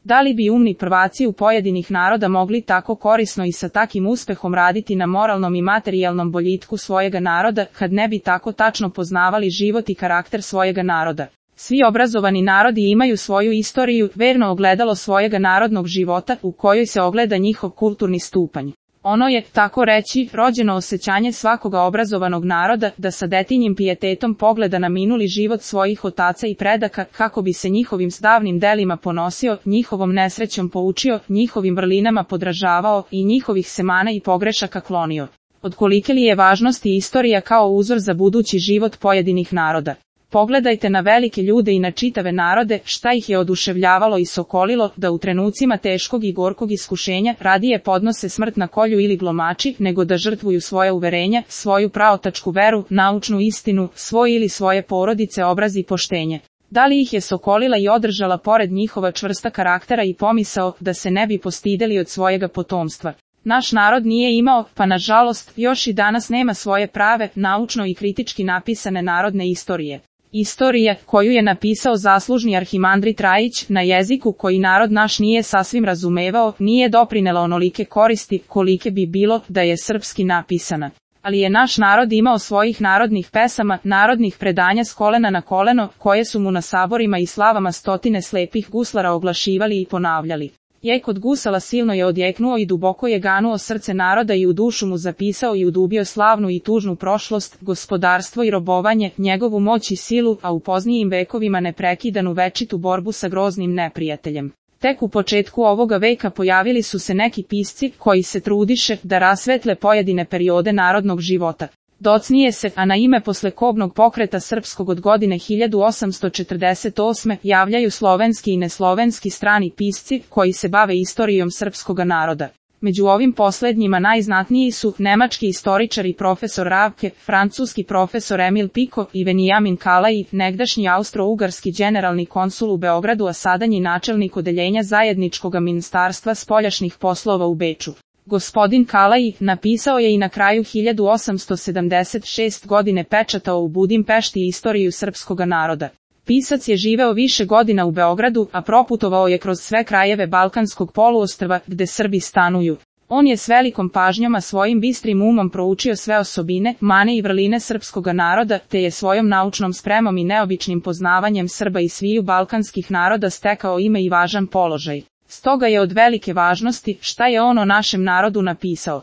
Da li bi umni prvaci u pojedinih naroda mogli tako korisno i sa takim uspehom raditi na moralnom i materijalnom boljitku svojega naroda, kad ne bi tako tačno poznavali život i karakter svojega naroda? Svi obrazovani narodi imaju svoju istoriju, verno ogledalo svojega narodnog života, u kojoj se ogleda njihov kulturni stupanj. Ono je, tako reći, rođeno osjećanje svakoga obrazovanog naroda, da sa detinjim pijetetom pogleda na minuli život svojih otaca i predaka, kako bi se njihovim davnim delima ponosio, njihovom nesrećom poučio, njihovim vrlinama podražavao i njihovih semana i pogrešaka klonio. Od kolike li je važnosti istorija kao uzor za budući život pojedinih naroda? Pogledajte na velike ljude i na čitave narode, šta ih je oduševljavalo i sokolilo, da u trenucima teškog i gorkog iskušenja radije podnose smrt na kolju ili glomači, nego da žrtvuju svoje uverenja, svoju praotačku veru, naučnu istinu, svoj ili svoje porodice, obraz i poštenje. Da li ih je sokolila i održala pored njihova čvrsta karaktera i pomisao, da se ne bi postideli od svojega potomstva? Naš narod nije imao, pa nažalost, još i danas nema svoje prave, naučno i kritički napisane narodne istorije. Istorija, koju je napisao zaslužni arhimandrit Rajić, na jeziku koji narod naš nije sasvim razumevao, nije doprinela onolike koristi, kolike bi bilo da je srpski napisana. Ali je naš narod imao svojih narodnih pesama, narodnih predanja s kolena na koleno, koje su mu na saborima i slavama stotine slepih guslara oglašivali i ponavljali. Jek od gusala silno je odjeknuo i duboko je ganuo srce naroda i u dušu mu zapisao i udubio slavnu i tužnu prošlost, gospodarstvo i robovanje, njegovu moć i silu, a u poznijim vekovima neprekidanu večitu borbu sa groznim neprijateljem. Tek u početku ovoga veka pojavili su se neki pisci, koji se trudiše da rasvetle pojedine periode narodnog života. Docnije se, a na ime poslekobnog pokreta srpskog od godine 1848. javljaju slovenski i neslovenski strani pisci, koji se bave istorijom srpskoga naroda. Među ovim poslednjima najznatniji su nemački istoričar i profesor Ravke, francuski profesor Emil Piko i Venijamin Kalai, negdašnji austro-ugarski generalni konsul u Beogradu, a sadanji načelnik odeljenja zajedničkog ministarstva spoljašnjih poslova u Beču. Gospodin Kalai napisao je i na kraju 1876. godine pečatao u Budimpešti istoriju srpskoga naroda. Pisac je živeo više godina u Beogradu, a proputovao je kroz sve krajeve Balkanskog poluostrva, gde Srbi stanuju. On je s velikom pažnjom a svojim bistrim umom proučio sve osobine, mane i vrline srpskoga naroda, te je svojom naučnom spremom i neobičnim poznavanjem Srba i sviju balkanskih naroda stekao ime i važan položaj. Stoga je od velike važnosti šta je on o našem narodu napisao.